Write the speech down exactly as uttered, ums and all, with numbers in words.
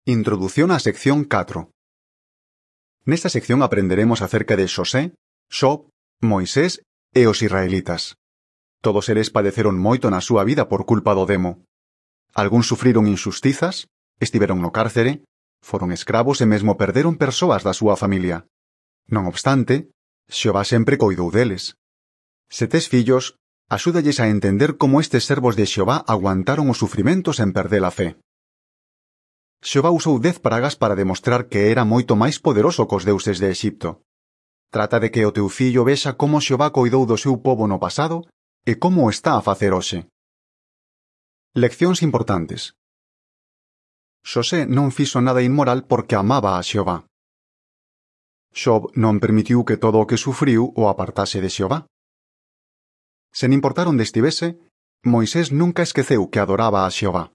Introdución á sección catro. Nesta sección aprenderemos acerca de Xosé, Xob, Moisés e os israelitas. Todos eles padeceron moito na súa vida por culpa do demo. Algúns sufriron injustizas, estiveron no cárcere, foron escravos e mesmo perderon persoas da súa familia. Non obstante, Xehová sempre coidou deles. Se tes fillos, axúdalles a entender como estes servos de Xehová aguantaron os sufrimentos en perder a fe. Xehová usou dez pragas para demostrar que era moito máis poderoso cos deuses de Exipto. Trata de que o teu fillo vexa como Xehová coidou do seu pobo no pasado e como o está a facer hoxe. Leccións importantes. Xosé non fixo nada inmoral porque amaba a Xehová. Xob non permitiu que todo o que sufriu o apartase de Xehová. Sen importar onde estivese, Moisés nunca esqueceu que adoraba a Xehová.